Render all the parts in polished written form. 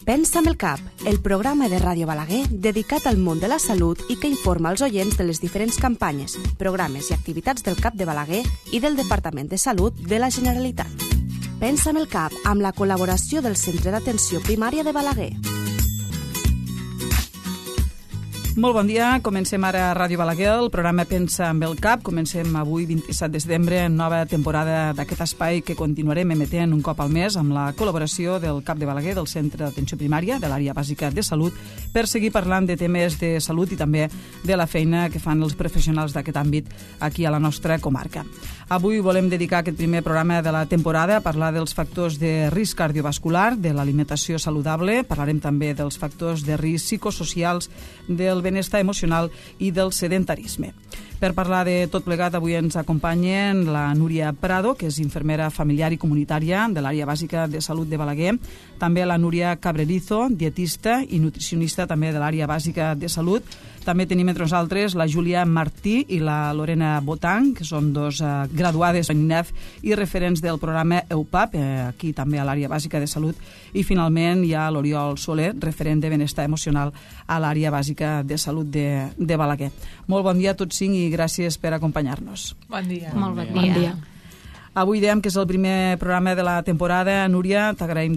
Pensa amb el cap, el programa de Ràdio Balaguer dedicat al món de la salut i que informa els oients de les diferents campanyes, programes i activitats del CAP de Balaguer i del Departament de Salut de la Generalitat. Pensa amb el cap, amb la col·laboració del Centre d'Atenció Primària de Balaguer. Molt bon dia, comencem ara a Ràdio Balaguer, el programa Pensa amb el cap. Comencem avui, 27 de setembre, nova temporada d'aquest espai que continuarem emetent un cop al mes amb la col·laboració del CAP de Balaguer, del Centre d'Atenció Primària, de l'Àrea Bàsica de Salut, per seguir parlant de temes de salut i també de la feina que fan els professionals d'aquest àmbit aquí a la nostra comarca. Avui volem dedicar aquest primer programa de la temporada a parlar dels factors de risc cardiovascular, de l'alimentació saludable, parlarem també dels factors de risc psicosocials, del benestar emocional i del sedentarisme. Per parlar de tot plegat, avui ens acompanyen la Núria Prado, que és infermera familiar i comunitària de l'Àrea Bàsica de Salut de Balaguer, també la Núria Cabrerizo, dietista i nutricionista també de l'Àrea Bàsica de Salut. També tenim entre nosaltres la Júlia Martí i la Lorena Botang, que són dos graduades en INEF i referents del programa EUPAP, aquí també a l'Àrea Bàsica de Salut. I finalment hi ha l'Oriol Soler, referent de benestar emocional a l'Àrea Bàsica de Salut de Balaguer. Molt bon dia a tots cinc i gràcies per acompanyar-nos. Bon dia. Molt bon dia. Avui dèiem que és el primer programa de la temporada. Núria, t'agraïm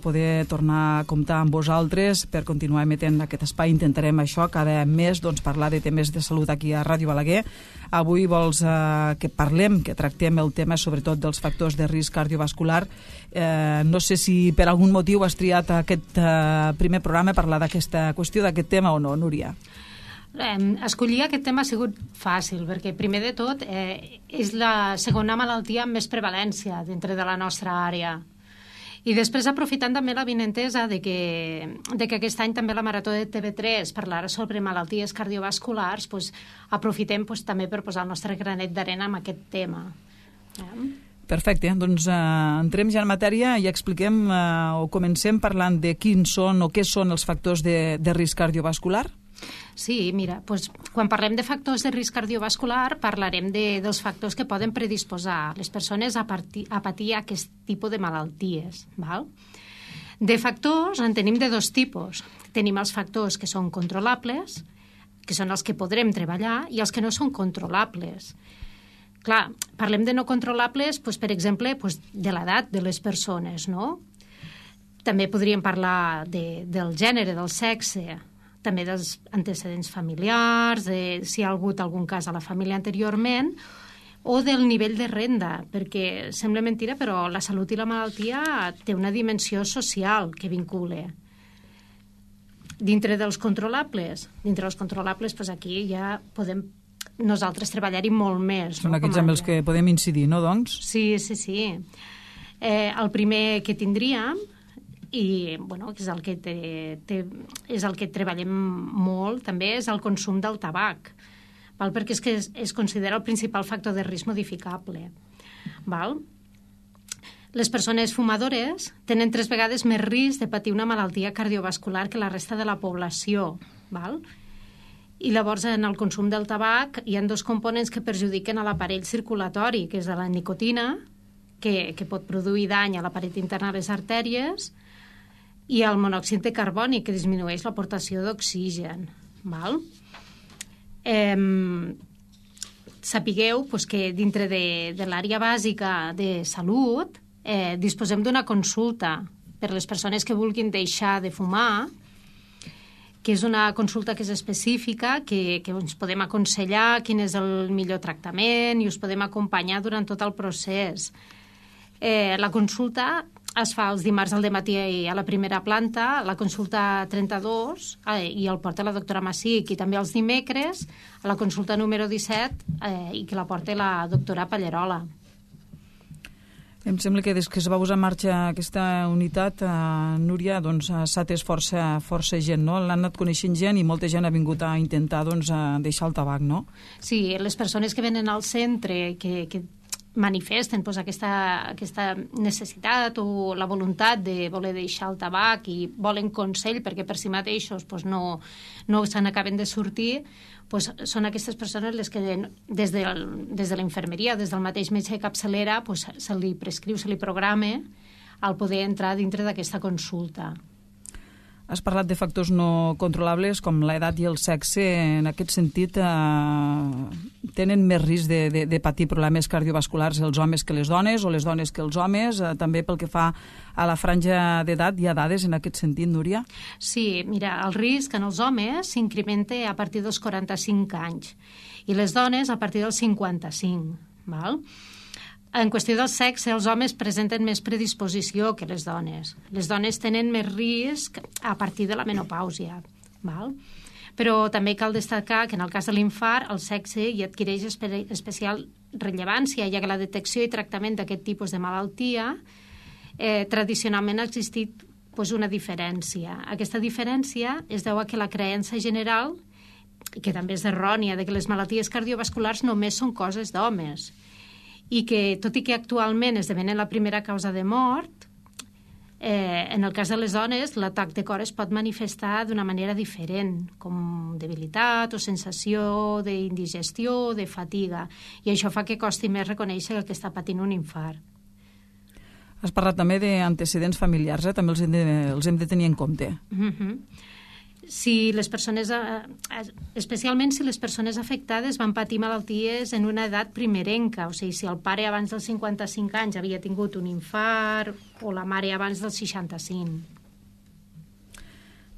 poder tornar a comptar amb vosaltres per continuar emetent aquest espai. Intentarem això, cada mes parlar de temes de salut aquí a Ràdio Balaguer. Avui vols que parlem, que tractem el tema sobretot dels factors de risc cardiovascular. No sé si per algun motiu has triat aquest primer programa a parlar d'aquesta qüestió, d'aquest tema o no, Núria? Escollir aquest tema ha sigut fàcil, perquè primer de tot és la segona malaltia amb més prevalència dintre de la nostra àrea. I després, aprofitant també la vinentesa de que aquest any també la Marató de TV3 parlarà sobre malalties cardiovasculars, aprofitem també per posar el nostre granet d'arena en aquest tema. Perfecte, doncs entrem ja en matèria i expliquem o comencem parlant de quins són o què són els factors de risc cardiovascular. Sí, mira, quan parlem de factors de risc cardiovascular parlarem dels factors que poden predisposar les persones a patir aquest tipus de malalties. Val? De factors en tenim de dos tipus. Tenim els factors que són controlables, que són els que podrem treballar, i els que no són controlables. Clar, parlem de no controlables, per exemple, de l'edat de les persones, no? També podríem parlar del gènere, del sexe, també dels antecedents familiars, si hi ha hagut algun cas a la família anteriorment, o del nivell de renda, perquè sembla mentira, però la salut i la malaltia té una dimensió social que vincula. Dintre dels controlables, aquí ja podem nosaltres treballar-hi molt més. Són aquells amb els que podem incidir, no, doncs? Sí. El primer que tindríem, i que és el que treballem molt també, és el consum del tabac, perquè és que es considera el principal factor de risc modificable. Les persones fumadores tenen 3 vegades més risc de patir una malaltia cardiovascular que la resta de la població. I llavors en el consum del tabac hi ha 2 components que perjudiquen a l'aparell circulatori, que és la nicotina, que pot produir dany a la paret interna de les artèries, i el monòxid de carboni, que disminueix l'aportació d'oxigen. Sapigueu que dintre de l'àrea bàsica de salut disposem d'una consulta per les persones que vulguin deixar de fumar, que és una consulta que és específica, que ens podem aconsellar quin és el millor tractament i us podem acompanyar durant tot el procés. La consulta es fa els dimarts al dematí a la primera planta, la consulta 32, i el porta la doctora Massic, i també els dimecres a la consulta número 17, i que la porta la doctora Pallerola. Em sembla que des que es va posar en marxa aquesta unitat, Núria, s'ha atès força gent, no? L'han anat coneixent gent i molta gent ha vingut a intentar deixar el tabac, no? Sí, les persones que venen al centre, que manifesten aquesta necessitat o la voluntat de voler deixar el tabac i volen consell perquè per si mateixos no se n'acaben de sortir, són aquestes persones les que des de la infermeria, des del mateix metge de capçalera, se li prescriu, se li programa el poder entrar dintre d'aquesta consulta. Has parlat de factors no controlables com l'edat i el sexe. En aquest sentit, tenen més risc de patir problemes cardiovasculars els homes que les dones o les dones que els homes? També pel que fa a la franja d'edat, hi ha dades en aquest sentit, Núria? Sí, mira, el risc en els homes s'incrementa a partir dels 45 anys i les dones a partir dels 55, val? En qüestió del sexe, els homes presenten més predisposició que les dones. Les dones tenen més risc a partir de la menopàusia, val? Però també cal destacar que en el cas de l'infart el sexe hi adquireix especial rellevància, ja que la detecció i tractament d'aquest tipus de malaltia tradicionalment ha existit una diferència. Aquesta diferència es deu a que la creença general, que també és errònia, de que les malalties cardiovasculars només són coses d'homes, i que, tot i que actualment esdevenen la primera causa de mort, en el cas de les dones, l'atac de cor es pot manifestar d'una manera diferent, com debilitat o sensació d'indigestió, de fatiga, i això fa que costi més reconèixer el que està patint un infart. Has parlat també d'antecedents familiars, també els hem de tenir en compte. Si les persones, especialment si les persones afectades van patir malalties en una edat primerenca, o sigui, si el pare abans dels 55 anys havia tingut un infart o la mare abans dels 65.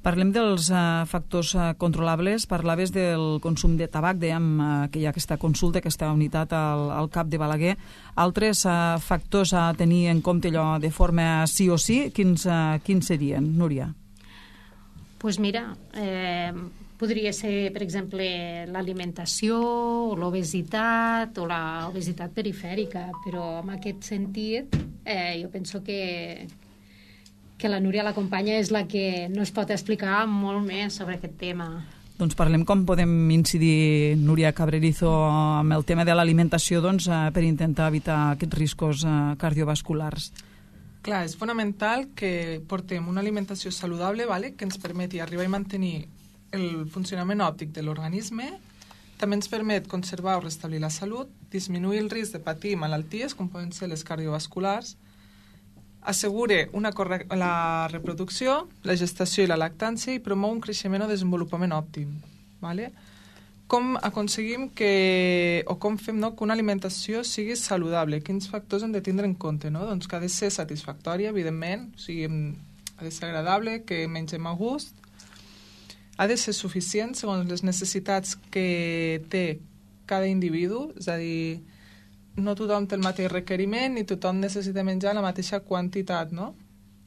Parlem dels factors controlables. Parlaves del consum de tabac, dèiem que hi ha aquesta consulta, aquesta unitat al CAP de Balaguer. Altres factors a tenir en compte allò de forma sí o sí, quins serien, Núria? Doncs mira, podria ser, per exemple, l'alimentació, o l'obesitat, o l'obesitat perifèrica, però en aquest sentit jo penso que la Núria, la companya, és la que nos pot explicar molt més sobre aquest tema. Doncs parlem com podem incidir, Núria Cabrerizo, amb el tema de l'alimentació per intentar evitar aquests riscos cardiovasculars. Clar, és fonamental que portem una alimentació saludable, que ens permeti arribar i mantenir el funcionament òptic de l'organisme, també ens permet conservar o restablir la salut, disminuir el risc de patir malalties, com poden ser les cardiovasculars, assegure la reproducció, la gestació i la lactància i promou un creixement o desenvolupament òptim. Com aconseguim com fem que una alimentació sigui saludable? Quins factors hem de tindre en compte? Doncs que ha de ser satisfactòria, evidentment, o sigui, ha de ser agradable, que mengem a gust, ha de ser suficient segons les necessitats que té cada individu, és a dir, no tothom té el mateix requeriment ni tothom necessita menjar la mateixa quantitat, no?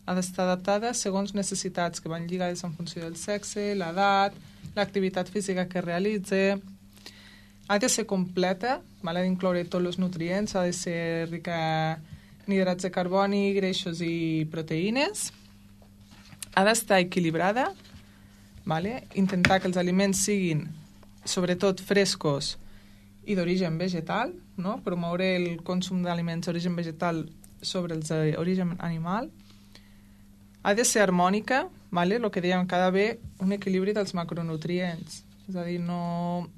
Ha d'estar adaptada segons necessitats que van lligades en funció del sexe, l'edat, l'activitat física que realitza. Ha de ser completa, ha d'incloure tots els nutrients, ha de ser rica en hidrats de carboni, greixos i proteïnes. Ha d'estar equilibrada, intentar que els aliments siguin sobretot frescos i d'origen vegetal, promoure el consum d'aliments d'origen vegetal sobre els d'origen animal. Ha de ser harmònica, el que dèiem, que ha d'haver un equilibri dels macronutrients, és a dir, no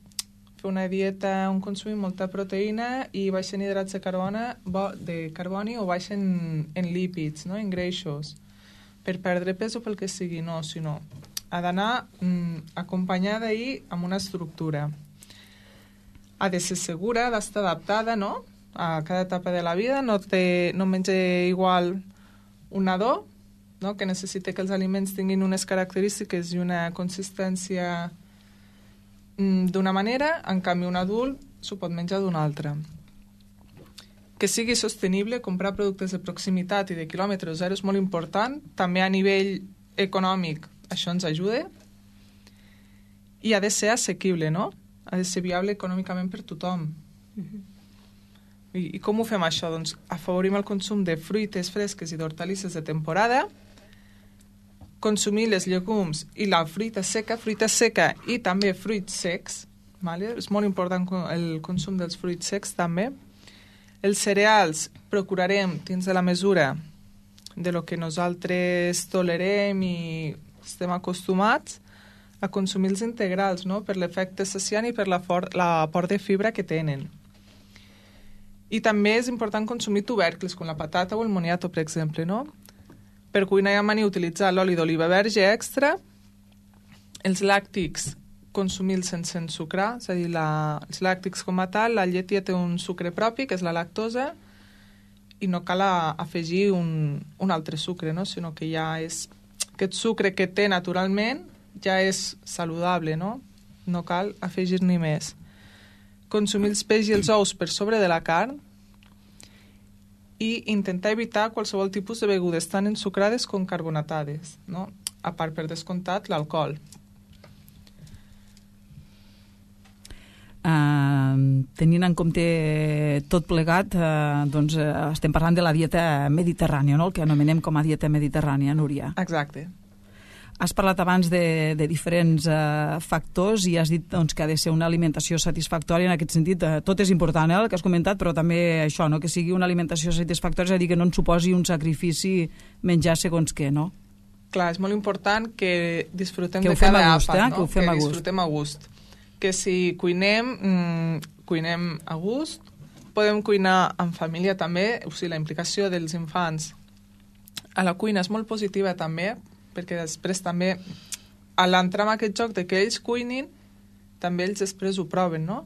fer una dieta on consumim molta proteïna i baixen hidrats de carboni o baixen en lípids, en greixos, per perdre pes o pel que sigui, sinó ha d'anar acompanyada i amb una estructura. Ha de ser segura, ha d'estar adaptada a cada etapa de la vida, no menja igual un nadó, que necessita que els aliments tinguin unes característiques i una consistència d'una manera, en canvi un adult s'ho pot menjar d'una altra. Que sigui sostenible, comprar productes de proximitat i de quilòmetre zero és molt important, també a nivell econòmic això ens ajuda, i ha de ser assequible, ha de ser viable econòmicament per tothom. I com ho fem això? Doncs afavorim el consum de fruites fresques i d'hortalisses de temporada, consumir les llegums i la fruita seca i també fruits secs, és molt important el consum dels fruits secs també. Els cereals procurarem dins de la mesura de lo que nosaltres tolerem i estem acostumats a consumir els integrals, per l'efecte saciant i per l'aport de fibra que tenen. I també és important consumir tubercles, com la patata o el moniato, per exemple, Per cuinar i amanir utilitzar l'oli d'oliva verge extra, els làctics consumir-los sense ensucrar, és a dir, els làctics com a tal, la llet ja té un sucre propi, que és la lactosa, i no cal afegir un altre sucre, no? Sinó que ja és... Aquest sucre que té naturalment ja és saludable, no? No cal afegir-n'hi més. Consumir els peix i els ous per sobre de la carn i intentar evitar qualsevol tipus de begudes tan ensucrades com carbonatades, no? A part, per descomptat, l'alcohol. Tenint en compte tot plegat, doncs estem parlant de la dieta mediterrània, no? El que anomenem com a dieta mediterrània, Núria. Exacte. Has parlat abans de diferents factors i has dit doncs, que ha de ser una alimentació satisfactòria. En aquest sentit, tot és important, el que has comentat, però també això, no? Que sigui una alimentació satisfactòria, és a dir, que no ens suposi un sacrifici menjar segons què, no? Clar, és molt important que disfrutem de cada àpat, no? Que ho fem a gust. Disfrutem a gust. Que si cuinem, cuinem a gust. Podem cuinar en família també, o sigui, la implicació dels infants a la cuina és molt positiva també, perquè després també, a l'entrar en aquest joc de que ells cuinin, també ells després ho proven, no?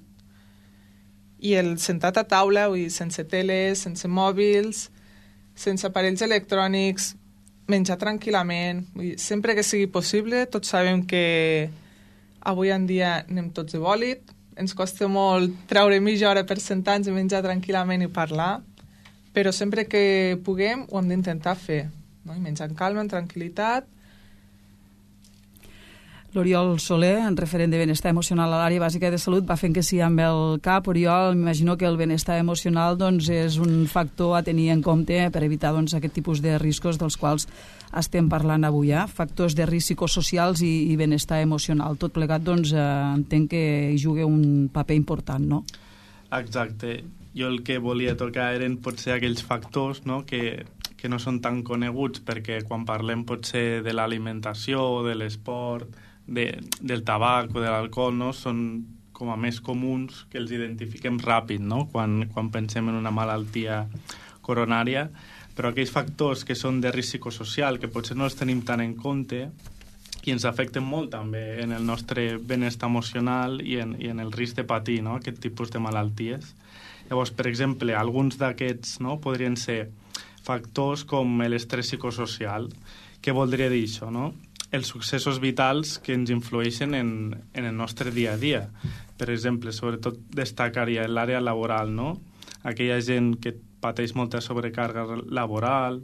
I el sentat a taula, vull dir, sense teles, sense mòbils, sense aparells electrònics, menjar tranquil·lament, vull dir, sempre que sigui possible. Tots sabem que avui en dia anem tots de bòlit, ens costa molt treure mitja hora per sentar-nos i menjar tranquil·lament i parlar, però sempre que puguem ho hem d'intentar fer, no? I menjar en calma, en tranquil·litat. L'Oriol Soler, en referent de benestar emocional a l'àrea bàsica de salut, va fent que sí amb el cap. Oriol, m'imagino que el benestar emocional doncs, és un factor a tenir en compte per evitar doncs, aquest tipus de riscos dels quals estem parlant avui. Factors de risc psicosocials i benestar emocional. Tot plegat, doncs, entenc que hi juga un paper important, no? Exacte. Jo el que volia tocar eren potser aquells factors, no?, que no són tan coneguts, perquè quan parlem potser de l'alimentació o de l'esport, del tabac o de l'alcohol, no?, són com a més comuns, que els identifiquem ràpid, no?, quan pensem en una malaltia coronària, però aquells factors que són de risc psicosocial, que potser no els tenim tant en compte i ens afecten molt també en el nostre benestar emocional i en el risc de patir, no?, aquest tipus de malalties. Llavors, per exemple, alguns d'aquests, no?, podrien ser factors com l'estrès psicosocial. Què voldria dir això, no? Els successos vitals que ens influeixen en el nostre dia a dia. Per exemple, sobretot destacaria en l'àrea laboral, no? Aquella gent que pateix molta sobrecàrrega laboral,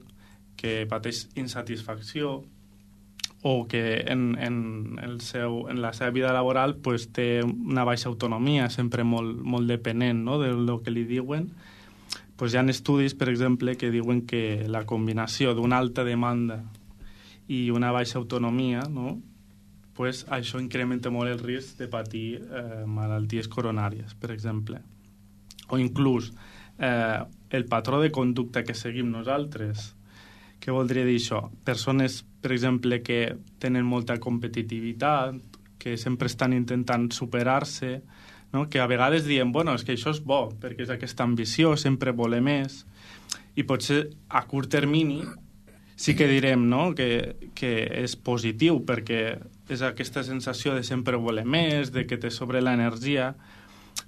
que pateix insatisfacció, o que en la seva vida laboral pues, té una baixa autonomia, sempre molt dependent, no?, del que li diuen. Pues hi ha estudis, per exemple, que diuen que la combinació d'una alta demanda i una baixa autonomia, no?, pues això incrementa molt el risc de patir malalties coronàries, per exemple. O inclús el patró de conducta que seguim nosaltres. Què voldria dir això? Persones, per exemple, que tenen molta competitivitat, que sempre estan intentant superar-se, no? Que a vegades diem, bueno, és que això és bo, perquè és aquesta ambició, sempre voler més, i potser a curt termini sí que direm, no?, que és positiu, perquè és aquesta sensació de sempre voler més, de que te sobre l'energia,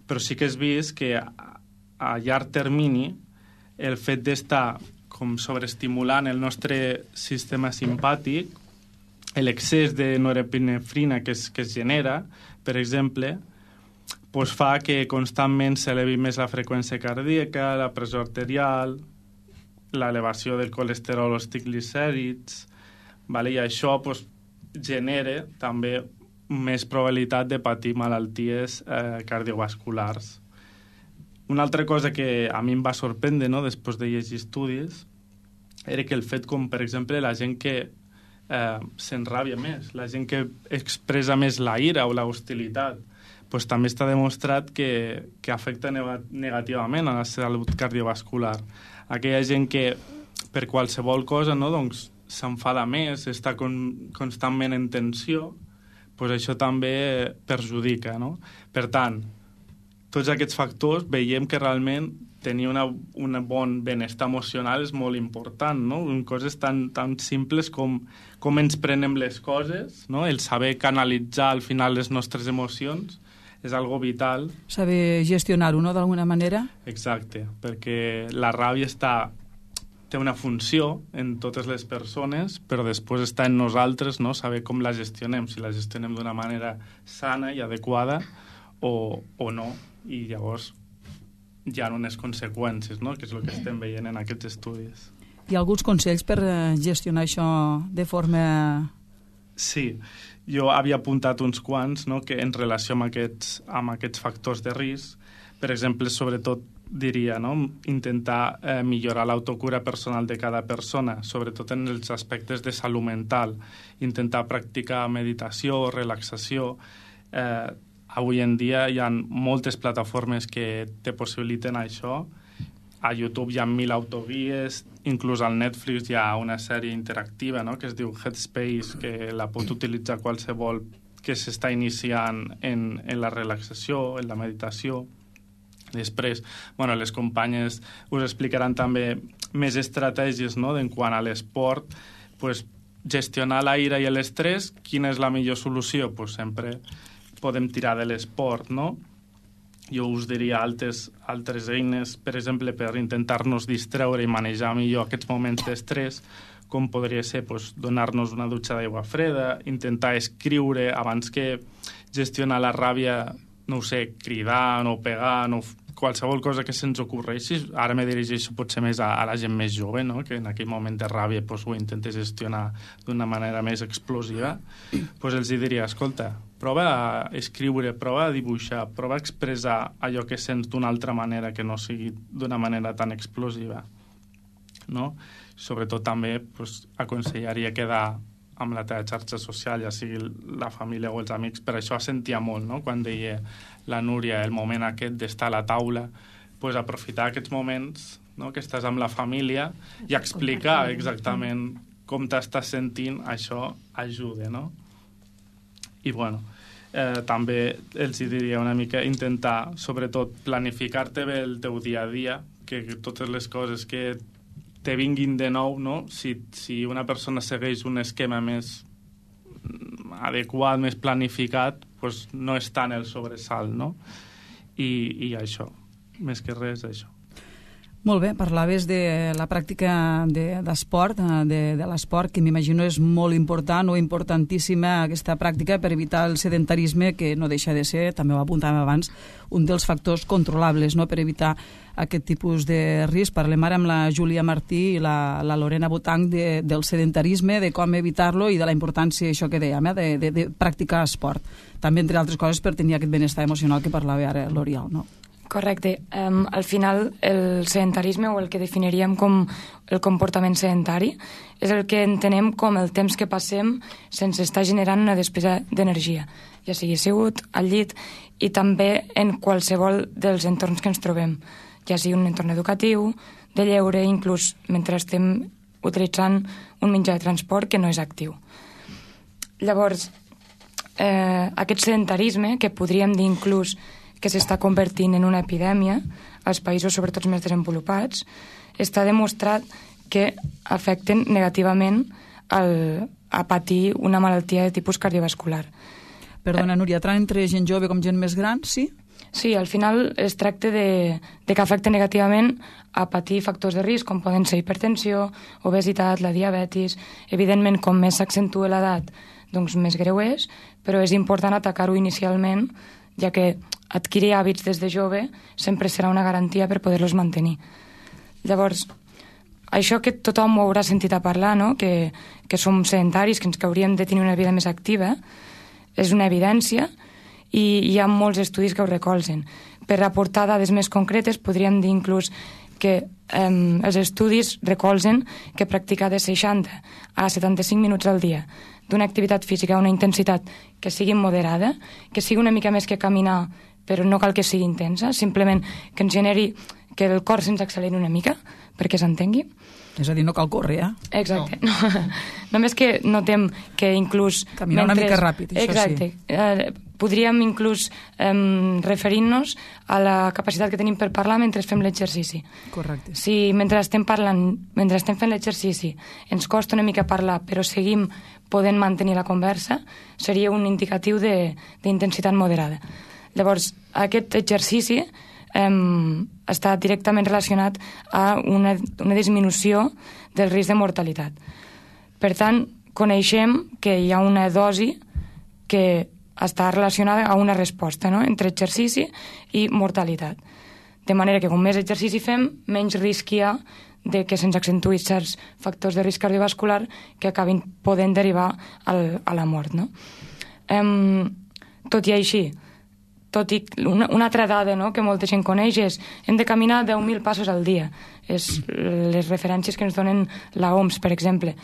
però sí que has vist que a llarg termini el fet d'estar com sobreestimulant el nostre sistema simpàtic, l'excés de norepinefrina que es genera, per exemple, pues fa que constantment s'elevi més la freqüència cardíaca, la pressió arterial, l'elevació del colesterol o els triglicèrids, vale? I això pues, genera també més probabilitat de patir malalties cardiovasculars. Una altra cosa que a mi em va sorprendre, no?, després de llegir estudis, era que el fet com, per exemple, la gent que s'enràbia més, la gent que expressa més la ira o la hostilitat, pues, també està demostrat que afecta negativament a la salut cardiovascular. Aquella gent que per qualsevol cosa, no, doncs, s'enfada més, està constantment en tensió, pues això també perjudica, no? Per tant, tots aquests factors veiem que realment tenir un bon benestar emocional és molt important, no? Coses tan simples com ens prenem les coses, no? El saber canalitzar al final les nostres emocions és algo vital. Saber gestionar-ho, no?, d'alguna manera. Exacte, perquè la ràbia té una funció en totes les persones, però després està en nosaltres, no?, saber com la gestionem, si la gestionem d'una manera sana i adequada o no, i llavors hi ha unes conseqüències, no?, que és el que estem veient en aquests estudis. Hi ha alguns consells per gestionar això de forma... Sí, jo havia apuntat uns quants, no?, que en relació amb aquests factors de risc, per exemple, sobretot diria, no?, intentar millorar l'autocura personal de cada persona, sobretot en els aspectes de salut mental, intentar practicar meditació, relaxació. Avui en dia hi ha moltes plataformes que te possibiliten això. A YouTube hi ha 1000 autoguies, inclús al Netflix hi ha una sèrie interactiva, no?, que es diu Headspace, que la pot utilitzar qualsevol que s'està iniciant en la relaxació, en la meditació. Després, les companyes us explicaran també més estratègies, no?, en quant a l'esport. Gestionar la ira i l'estrès, quina és la millor solució? Sempre podem tirar de l'esport, no? Jo us diria altres eines, per exemple, per intentar-nos distreure i manejar millor aquests moments d'estrès, com podria ser donar-nos una dutxa d'aigua freda, intentar escriure abans que gestionar la ràbia, no ho sé, cridant o pegant o qualsevol cosa que se'ns ocorreixi. Ara me dirigeixo potser més a la gent més jove, no?, que en aquell moment de ràbia ho intenta gestionar d'una manera més explosiva. Els diria, escolta, prova a escriure, prova a dibuixar, prova a expressar allò que sents d'una altra manera que no sigui d'una manera tan explosiva, no? Sobretot també aconsellaria quedar amb la teva xarxa social, ja sigui la família o els amics. Per això sentia molt, no?, quan deia la Núria, el moment aquest d'estar a la taula, aprofitar aquests moments, no?, que estàs amb la família i explicar exactament com t'estàs sentint, això ajuda, no? I també els diria una mica intentar, sobretot, planificar-te bé el teu dia a dia, que totes les coses que te vinguin de nou, no? Si una persona segueix un esquema més adequat, més planificat, no és tant el sobresalt, no? I això, més que res, això. Molt bé, parlaves de la pràctica d'esport, de l'esport, que m'imagino és molt important o importantíssima aquesta pràctica per evitar el sedentarisme, que no deixa de ser, també ho apuntàvem abans, un dels factors controlables, no?, per evitar aquest tipus de risc. Parlem ara amb la Júlia Martí i la Lorena Botanc del sedentarisme, de com evitar-lo i de la importància, això que dèiem, de practicar esport. També, entre altres coses, per tenir aquest benestar emocional que parlava ara l'Oriol, no? Correcte. Al final, el sedentarisme, o el que definiríem com el comportament sedentari, és el que entenem com el temps que passem sense estar generant una despesa d'energia, ja sigui assegut, al llit, i també en qualsevol dels entorns que ens trobem, ja sigui un entorn educatiu, de lleure, inclús mentre estem utilitzant un mitjà de transport que no és actiu. Llavors, aquest sedentarisme, que podríem dir inclús que s'està convertint en una epidèmia als països, sobretot més desenvolupats, està demostrat que afecten negativament a patir una malaltia de tipus cardiovascular. Perdona, Núria, tant entre gent jove com gent més gran, sí? Sí, al final es tracta de que afecta negativament a patir factors de risc, com poden ser hipertensió, obesitat, la diabetis. Evidentment, com més s'accentua l'edat, doncs més greu és, però és important atacar-ho inicialment, ja que adquirir hàbits des de jove sempre serà una garantia per poder-los mantenir. Llavors, això que tothom ho haurà sentit a parlar, no?, que som sedentaris, que hauríem de tenir una vida més activa, és una evidència i hi ha molts estudis que ho recolzen. Per aportar dades més concretes, podríem dir inclús que els estudis recolzen que practicar de 60 a 75 minuts al dia d'una activitat física, una intensitat que sigui moderada, que sigui una mica més que caminar, però no cal que sigui intensa, simplement que ens generi que el cor se'ns acceleri una mica, perquè s'entengui. És a dir, no cal córrer, Exacte. No. Només que notem que inclús... Caminar una mica ràpid, això exacte, sí. podríem inclús referir-nos a la capacitat que tenim per parlar mentre fem l'exercici. Correcte. Si mentre estem parlant, mentre estem fent l'exercici, ens costa una mica parlar, però seguim podent mantenir la conversa, seria un indicatiu d'intensitat moderada. Llavors, aquest exercici està directament relacionat a una disminució del risc de mortalitat. Per tant, coneixem que hi ha una dosi que està relacionada a una resposta, no?, entre exercici i mortalitat. De manera que com més exercici fem, menys risc hi ha de que se'ns accentuïn certs factors de risc cardiovascular que acabin podent derivar a la mort, no? Tot i així, una altra dada, no?, que molta gent coneix és hem de caminar 10.000 passos al dia. És les referències que ens donen la OMS, per exemple.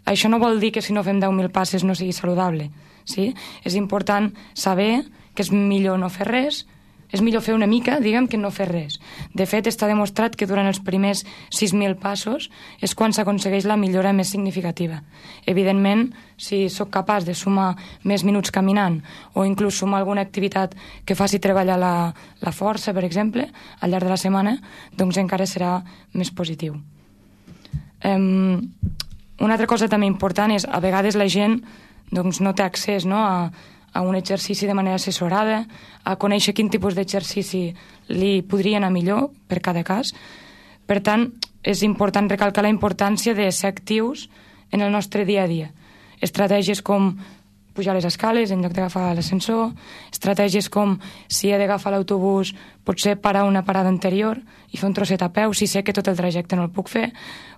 Això no vol dir que si no fem 10.000 passes no sigui saludable. Sí? És important saber que és millor no fer res, és millor fer una mica, diguem, que no fer res. De fet, està demostrat que durant els primers 6.000 passos és quan s'aconsegueix la millora més significativa. Evidentment, si sóc capaç de sumar més minuts caminant o inclús sumar alguna activitat que faci treballar la força, per exemple, al llarg de la setmana, doncs encara serà més positiu. Una altra cosa també important és, a vegades la gent doncs, no té accés, no?, a un exercici de manera assessorada, a conèixer quin tipus d'exercici li podria anar millor per cada cas. Per tant, és important recalcar la importància de ser actius en el nostre dia a dia. Estratègies com pujar les escales en lloc d'agafar l'ascensor, estratègies com, si he d'agafar l'autobús, potser parar una parada anterior i fer un trosset a peu si sé que tot el trajecte no el puc fer,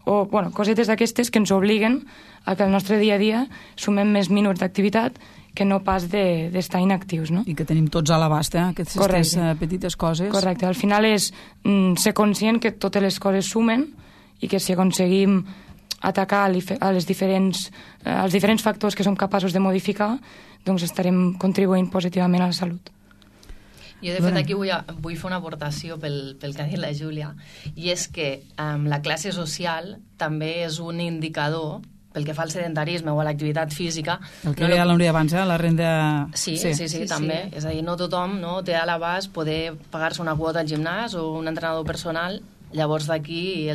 o cosetes d'aquestes que ens obliguen a que el nostre dia a dia sumem més minuts d'activitat que no pas d'estar inactius, no? I que tenim tots a l'abast, aquestes petites coses. Correcte. Al final és ser conscient que totes les coses sumen i que si aconseguim atacar als diferents factors que som capaços de modificar, doncs estarem contribuint positivament a la salut. Jo, de fet, aquí vull fer una aportació pel que ha dit la Júlia, i és que la classe social també és un indicador pel que fa al sedentarisme o a l'activitat física. El que deia l'Núria abans, la renda... Sí, també. És a dir, no tothom té a l'abast poder pagar-se una quota al gimnàs o un entrenador personal. Llavors d'aquí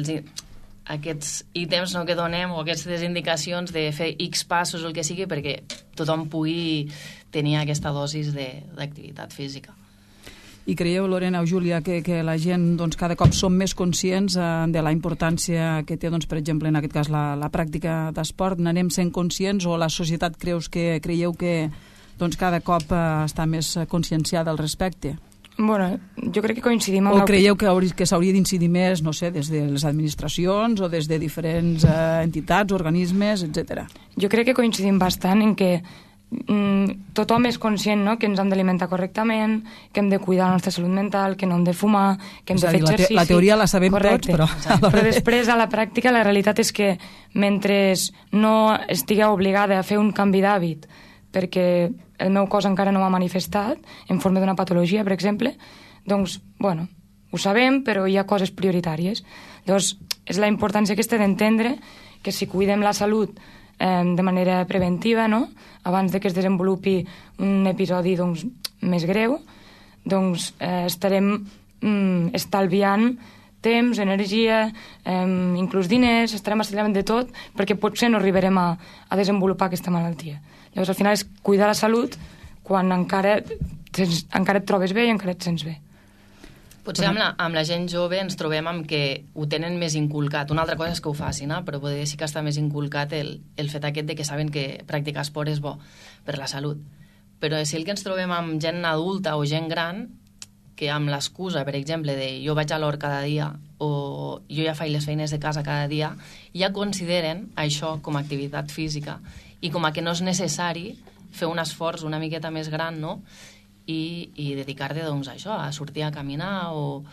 aquests ítems que donem o aquestes indicacions de fer X passos o el que sigui perquè tothom pugui tenir aquesta dosis d'activitat física. I creieu, Lorena o Júlia, que la gent cada cop som més conscients de la importància que té, per exemple, en aquest cas, la pràctica d'esport? N'anem sent conscients o la societat creieu que cada cop està més conscienciada al respecte? Bueno, jo crec que coincidim amb... O creieu que s'hauria d'incidir més, no sé, des de les administracions o des de diferents entitats, organismes, etc. Jo crec que coincidim bastant en que tothom és conscient, no?, que ens hem d'alimentar correctament, que hem de cuidar la nostra salut mental, que no hem de fumar, que hem de fer exercici. La teoria la sabem tots, però... Però després, a la pràctica, la realitat és que mentre no estigueu obligada a fer un canvi d'hàbit perquè el meu cos encara no m'ha manifestat en forma d'una patologia, per exemple, doncs, bueno, ho sabem, però hi ha coses prioritàries. Llavors, és la importància aquesta d'entendre que si cuidem la salut de manera preventiva, no?, abans de que es desenvolupi un episodi més greu, doncs estarem estalviant temps, energia, inclús diners, estarem estalviant de tot, perquè potser no arribarem a desenvolupar aquesta malaltia. Llavors, al final, és cuidar la salut quan encara et trobes bé i encara et sents bé. Potser amb la gent jove ens trobem amb que ho tenen més inculcat. Una altra cosa és que ho facin, però potser sí que està més inculcat el fet aquest de que saben que practicar esport és bo per la salut. Però si el que ens trobem amb gent adulta o gent gran, que amb l'excusa, per exemple, de jo vaig a l'hort cada dia o jo ja faig les feines de casa cada dia, ja consideren això com a activitat física i com a que no és necessari fer un esforç una miqueta més gran, no?, i dedicar-te a això, a sortir a caminar o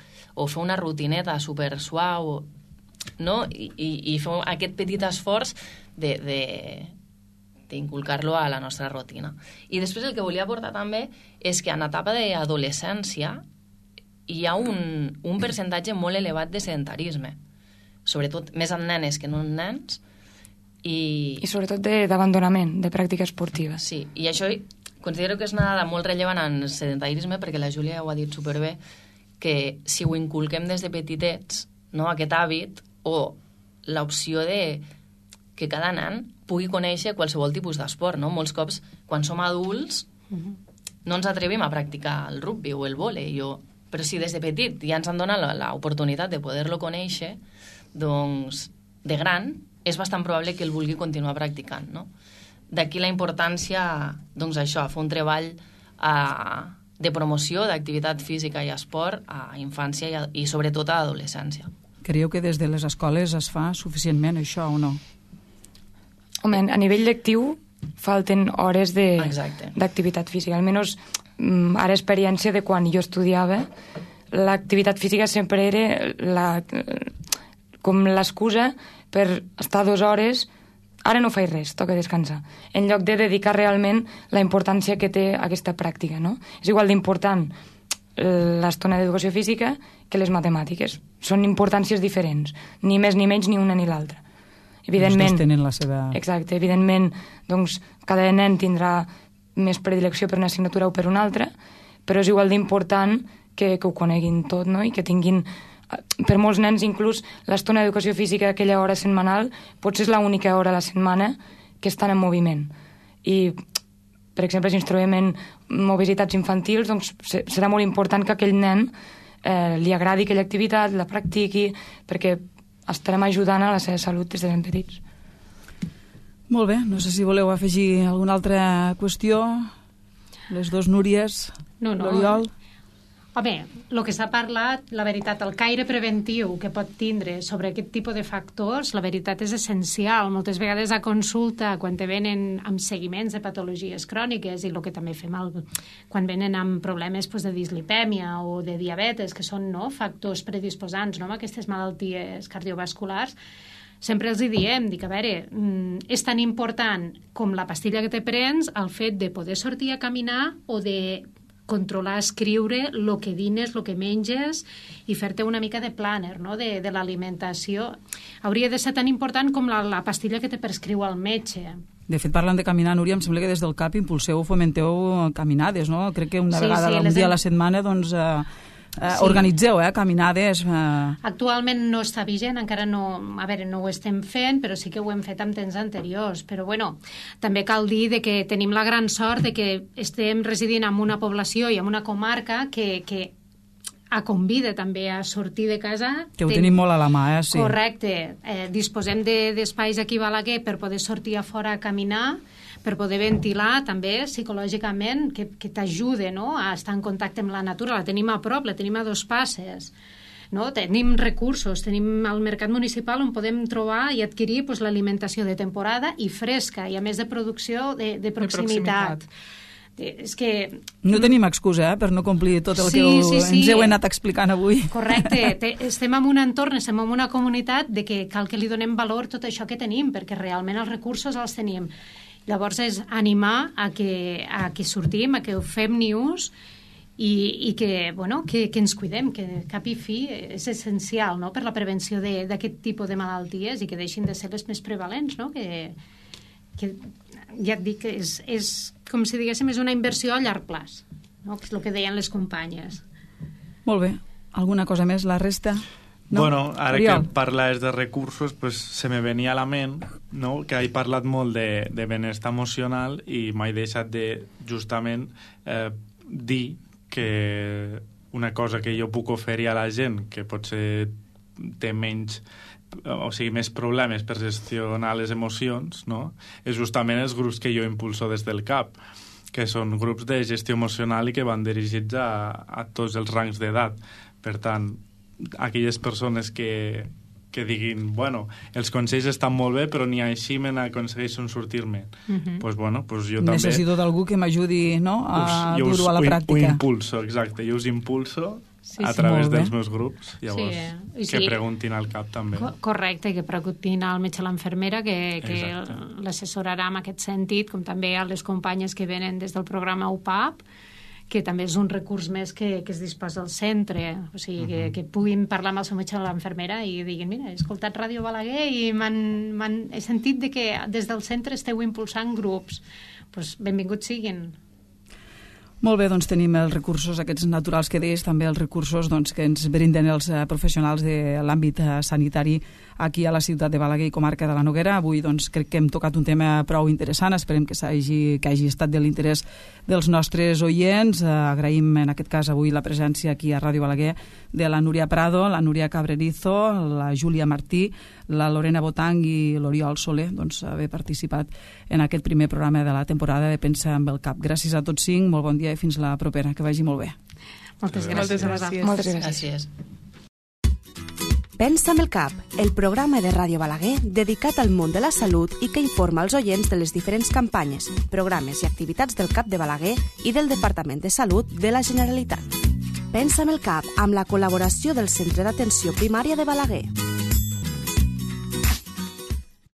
fer una rutineta super suau, no? I fer aquest petit esforç d'inculcar-lo a la nostra rutina. I després el que volia aportar també és que en etapa d'adolescència hi ha un percentatge molt elevat de sedentarisme, sobretot més en nenes que no en nens, i sobretot d'abandonament de pràctica esportiva. Sí, i això Considero que és una dada molt rellevant en el sedentarisme, perquè la Júlia ja ho ha dit superbé, que si ho inculquem des de petitets, no, aquest hàbit, o l'opció de que cada nen pugui conèixer qualsevol tipus d'esport, no? Molts cops, quan som adults, no ens atrevim a practicar el rugby o el vòlei, però si des de petit ja ens han donat l'oportunitat de poder-lo conèixer, doncs, de gran, és bastant probable que el vulgui continuar practicant, no? D'aquí la importància, doncs això, fer un treball de promoció d'activitat física i esport a infància i sobretot a adolescència. Creieu que des de les escoles es fa suficientment això o no? Home, a nivell lectiu falten hores d'activitat física. Almenys ara experiència de quan jo estudiava, l'activitat física sempre era com l'excusa per estar 2 hores, ara no faig res, toca descansar, en lloc de dedicar realment la importància que té aquesta pràctica, no? És igual d'important l'estona d'educació física que les matemàtiques. Són importàncies diferents, ni més ni menys ni una ni l'altra. Evidentment, tenen la seva... Exacte, evidentment, doncs, cada nen tindrà més predilecció per una assignatura o per una altra, però és igual d'important que ho coneguin tot, no? I que tinguin... Per molts nens, inclús, l'estona d'educació física, aquella hora setmanal, potser és l'única hora a la setmana que estan en moviment. I, per exemple, si ens trobem en obesitats infantils, doncs serà molt important que aquell nen li agradi aquella activitat, la practiqui, perquè estarem ajudant a la seva salut des de ben petits. Molt bé, no sé si voleu afegir alguna altra qüestió. Les dues Núries, l'Oriol... Home, el que s'ha parlat, la veritat, el caire preventiu que pot tindre sobre aquest tipus de factors, la veritat és essencial. Moltes vegades a consulta, quan te venen amb seguiments de patologies cròniques, i el que també fem quan venen amb problemes de dislipèmia o de diabetes, que són factors predisposants a aquestes malalties cardiovasculars, sempre els diem, a veure, és tan important com la pastilla que te prens el fet de poder sortir a caminar o de controlar, escriure el que dines, el que menges i fer-te una mica de planner, no? de l'alimentació. Hauria de ser tan important com la pastilla que te prescriu el metge. De fet, parlant de caminar, Núria, em sembla que des del CAP impulseu o fomenteu caminades, no? Crec que una vegada, un dia a la setmana, doncs... organitzeu caminades. Actualment no està vigent, encara no ho estem fent, però sí que ho hem fet en temps anteriors. Però bueno, també cal dir que tenim la gran sort de que estem residint en una població i en una comarca que convida també a sortir de casa. Que ho tenim molt a la mà, sí. Correcte. Disposem d'espais aquí a Balaguer per poder sortir a fora a caminar, per poder ventilar també psicològicament, que t'ajude a estar en contacte amb la natura. La tenim a prop, la tenim a 2 passes. Tenim recursos, tenim el mercat municipal on podem trobar i adquirir l'alimentació de temporada i fresca, i a més de producció de proximitat. És que... No tenim excusa per no complir tot el que ens heu anat explicant avui. Correcte. Estem en un entorn, estem en una comunitat de que cal que li donem valor tot això que tenim, perquè realment els recursos els tenim. Llavors és animar a que sortim, a que ho fem ni ús i que ens cuidem, que cap i fi és essencial, no?, per la prevenció d'aquest tipus de malalties i que deixin de ser les més prevalents, no?, que ja et dic que és com si diguéssim, és una inversió a llarg plaç, no?, que és el que deien les companyes. Molt bé. Alguna cosa més, la resta? No? Bueno, ara Oriol, que parles de recursos, pues, se me venia a la ment, no?, que he parlat molt de benestar emocional i m'he deixat de, justament, dir que una cosa que jo puc oferir a la gent que potser té menys, o sigui, més problemes per gestionar les emocions, no?, és justament els grups que jo impulso des del CAP, que són grups de gestió emocional i que van dirigits a tots els rangs d'edat. Per tant, aquelles persones que diguin, bueno, els consells estan molt bé, però ni així me n'aconsegueixen sortir-me. Pues bueno, pues jo també... Necessito d'algú que m'ajudi, no?, a dur-ho a la pràctica. Ho impulso, exacte. Jo us impulso a través dels meus grups. Llavors, que preguntin al CAP també. Correcte, que preguntin al metge o l'enfermera, que l'assessorarà en aquest sentit, com també a les companyes que venen des del programa UPAP, que també és un recurs més que es disposa al centre, o sigui, que puguin parlar amb el seu metge o l'enfermera i diguin, mira, he escoltat Ràdio Balaguer i he sentit que des del centre esteu impulsant grups. Doncs benvinguts siguin. Molt bé, doncs tenim els recursos aquests naturals que deies, també els recursos doncs, que ens brinden els professionals de l'àmbit sanitari aquí a la ciutat de Balaguer i comarca de la Noguera. Avui doncs, crec que hem tocat un tema prou interessant, esperem que hagi estat de l'interès dels nostres oients. Agraïm en aquest cas avui la presència aquí a Ràdio Balaguer de la Núria Prado, la Núria Cabrerizo, la Júlia Martí, la Lorena Botang i l'Oriol Soler, doncs, haver participat en aquest primer programa de la temporada de Pensa amb el Cap. Gràcies a tots cinc, molt bon dia i fins la propera, que vagi molt bé. Moltes gràcies. Moltes gràcies. Pensa amb el Cap, el programa de Ràdio Balaguer dedicat al món de la salut i que informa els oients de les diferents campanyes, programes i activitats del CAP de Balaguer i del Departament de Salut de la Generalitat. Pensa amb el Cap, amb la col·laboració del Centre d'Atenció Primària de Balaguer.